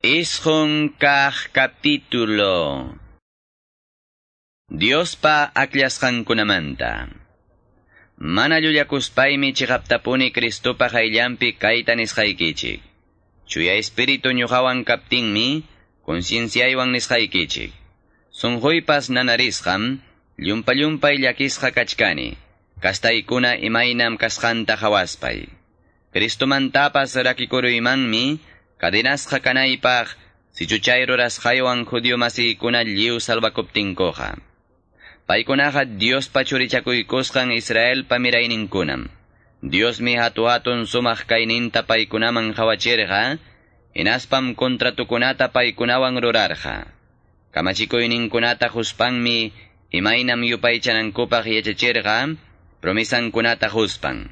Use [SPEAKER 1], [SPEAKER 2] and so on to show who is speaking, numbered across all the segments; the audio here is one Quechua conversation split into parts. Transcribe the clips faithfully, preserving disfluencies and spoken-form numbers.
[SPEAKER 1] Isqun kaq capítulo. Diospa akllashqankunamanta. Mana llullakuspaymi chiqaptapuni Cristopa qayllanpi kayta nisqaykichik. Chuya espíritu ñuqawan kaptinmi concienciaywan nisqaykichik. Sunquypas nanarisqam llumpa-llumpay llakisqa kachkani. Kastaykuna imaynam kasqanta hawaspay. Cristomantapas rakikuruymanmi cadenasqa kanaypaq sichuchay rurasqaywan judío masiykuna lliw salvakuptinkuqa. Paykunaqa Diospa churichakuykusqan Israelpa mirayninkunam. Diosmi hatu-hatun sumaq kayninta paykunaman qhawachirqa, hinaspam contratukunata paykunawan rurarqa. Kamachikuyninkunata huspanmi imaynam yupaychanankupaq yachachirqa, promisankunata huspan.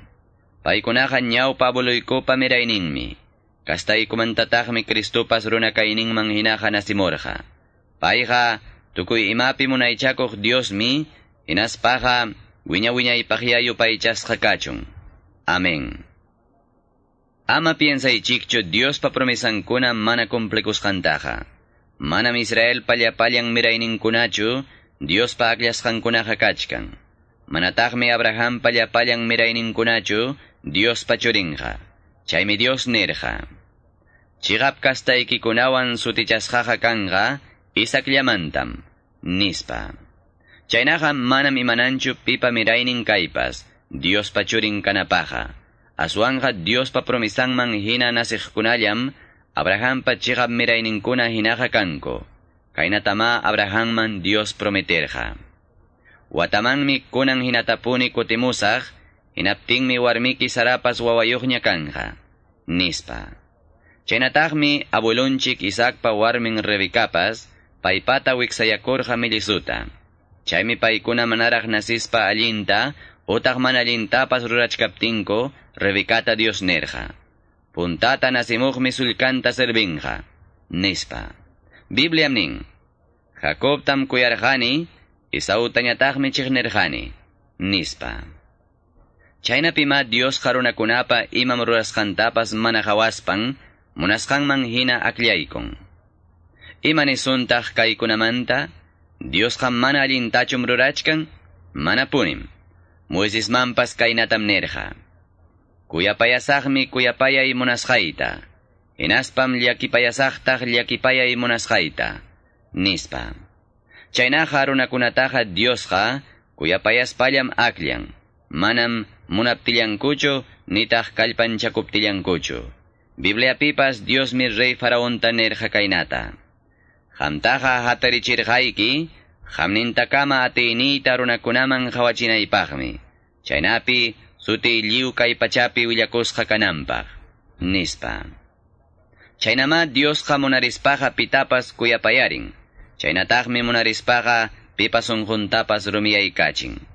[SPEAKER 1] Paykunaqa ñawpa abueluykupa mirayninmi. Kastaykumantataqmi Cristopas runa kayninman hinaqa nasimurqa. Payqa tukuy imapi munaychakuq Diosmi, hinaspaqa wiña-wiñaypaqya yupaychasqa kachun. Amén. Ama piensaychikchu Diospa promesankuna mana cumplikusqantaqa. Manam Israelpa llapallan mirayninkunachu Diospa akllasqankunaqa kachkan. Manataqmi Abrahampa llapallan mirayninkunachu Diospa churinqa. Chaymi Dios nirqa. Chiqap kastaykikunawan sutichasqaqa kanqa Isaacllamantam, nispa. Chaynaqa manam imananchu pipa miraynin kaypas, Diospa churin kanapaqa. Aswanqa Diospa promisanman hina nasiqkunallam Abrahampa chiqap mirayninkuna hinaqa kanku. Kaynatama Abrahamman Dios prometerqa. Watamanmi kunan hinatapuni kutimusaq, hinaptinmi warmiki Sarapas wawayuqña kanja, nispa. Chaynataqmi abuelunchik Isaacpa warmin Rebecapas paypata wiksayakurqa millisuta. Chaymi paykuna manaraq nasispa allinta utaq mana allintapas rurachkaptinku Rebecata Dios nirqa. Puntata nasimuqmi sullkanta servinqa, nispa. Bibliam nin, Jacobtam kuyarqani, Esautañataqmi chiqnirqani, nispa. Chaynapima Dios runakunapa imam rurasqantapas mana qhawaspan, munasqanman hina akllaykun. Ima nisuntaq kaykunamanta? Diosqa mana allintachum rurachkan? Manapunim. Moisesmanpas kaynatam nirqa. Kuyapayasaqmi kuyapayay munasqayta. Hinaspam llakipayasaqtaq llakipayay munasqayta, nispa. Chaynaqa runakunataqa Diosqa kuyapayaspallam akllan. Manam munaptillankuchu nitaq kallpanchakuptillankuchu. Bibliapipas Diosmi rey faraonta nirqa kaynata. Qamtaqa hatarichirqayki, qamnintakama atiyniyta runakunaman qhawachinaypaqmi. Chaynapi sutiy lliw kay pachapi willakusqa kananpaq, nispa. Chaynama Diosqa munarispaqa pitapas kuyapayarin. Chaynataqmi munarispaqa pipa sunquntapas rumiyaykachin.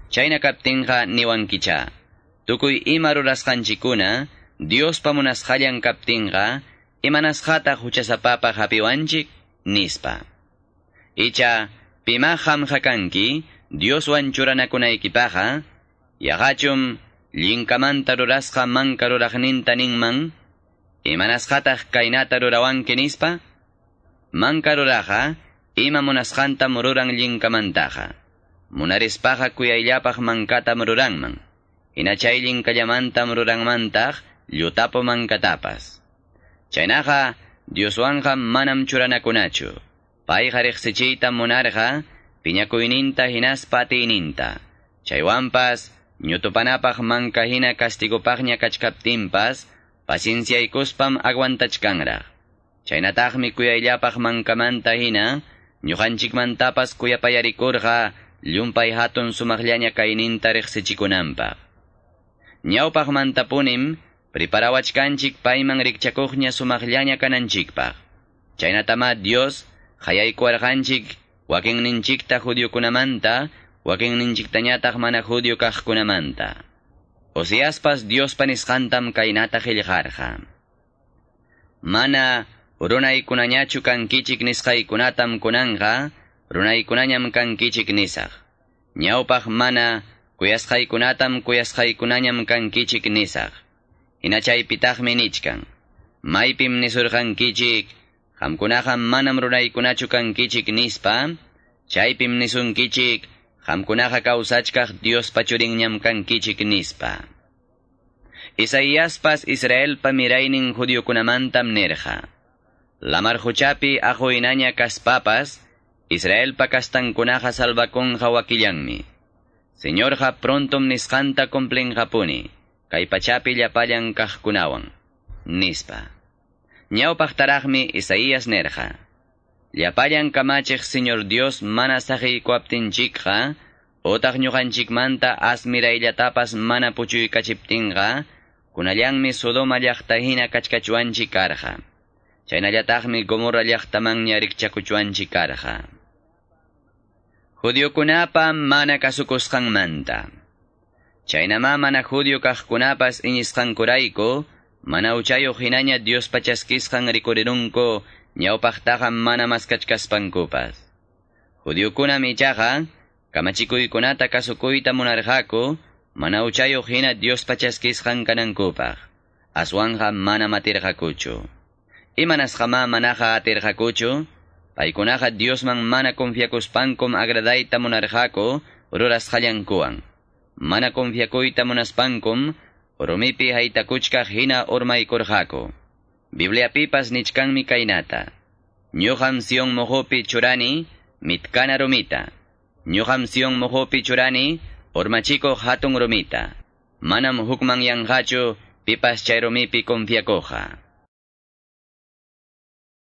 [SPEAKER 1] Chayna kaptinqa niwankicha. Tukuy ima rurasqanchikkuna Diospa munasqallan kaptinqa imanasqataq huchasapapaq hapiwanchik, nispa. Icha pima qamqa kanki Dioswan churanakunaykipaqa, yaqachum llinkamanta rurasqa manka ruraqninta ninman, imanasqataq kaynata rurawanki nispa? Manka ruraqa ima munasqantam ruran llinkamantaqa. Munarispaqa kuyayllapaq mankatam ruranman. Hina chay llinkallamantam ruranmantaq llutapu mankatapas. Chaynaqa Dioswanqa manam churanakunachu. Payqa riqsichiyta munarqa piñakuyninta hinaspa atiyninta. Chaywanpas ñutupanapaq manka hina castigopaqña kachkaptinpas pacienciaykuspam aguantachkanraq. Chaynataqmi kuyayllapaq mankamanta hina ñuqanchikmantapas kuyapayarikurqa llumpay hatun sumaqllaña kayninta riqsichikunanpaq. Ñawpaqmantapunim preparawachkanchik payman rikchakuqña sumaqllaña kananchikpaq. Chaynatama Dios qayaykuwarqanchik wakinninchikta judiokunamanta, wakinninchiktañataq mana judio kaqkunamanta. Oseaspas Diospa nisqantam kaynata qillqarqa. Mana runaykunañachu kankichik nisqaykunatam kunanqa, runaykunañam kankichik nisaq. Ñawpaq mana kuyasqaykunatam kuyasqaykunañam kankichik nisaq. Hina chaypitaqmi nichkan. Maypim nisurqankichik, Qamkunaqa manam runaykunachu kankichik nispa, chaypim nisunkichik, qamkunaqa kawsachkaq Diospa churinñam kankichik nispa. Isaíaspas Israelpa miraynin judiokunamantam nirqa. Lamar quchapi aquhinaña kaspapas, Israelpa kastankunaqa salvakunqa wakillanmi. Señorqa prontom nisqanta cumplinqapuni, kay pachapi llapallan kaqkunawan, nispa. Ñawpaqtaraqmi Isaías nirqa. Llapallan kamachiq Señor Dios mana saqiykuwaptinchikqa, utaq ñuqanchikmanta asmirayllatapas mana puchuykachiptinqa, kunallanmi Sodoma llaqta hina kachkachuanchik karqa. Chaynallataqmi Gomorra llaqtamanña rikchakuchuanchik karqa. Judiokunapa mana kasukusqanmanta. Chaynamá mana judio kaqkunapas iñisqankurayku, mana huchayuq hinaña Diospa chaskisqan rikurirunku ñawpaqtaqa mana maskachkaspankupas. Judiokunam ichaqa kamachikuykunata kasukuyta munarqaku, mana huchayuq hina Diospa chaskisqan kanankupaq. Aswanqa mana atirqakuchu. Imanasqamá manaqa atirqakuchu? Paykunaqa Diosman mana confiakuspankum agradayta munarqaku rurasqallankuwan. Mana confiakuyta munaspankum rumipi haytakuchkaq hina urmaykurqaku. Bibliapipas nichkanmi kaynata. Ñuqam Sion moqopi churani mitkana rumita. Ñuqam Sion moqopi churani urmachikuq hatun rumita. Manam hukmanyanqachu pipas chay rumipi confiakuqqa.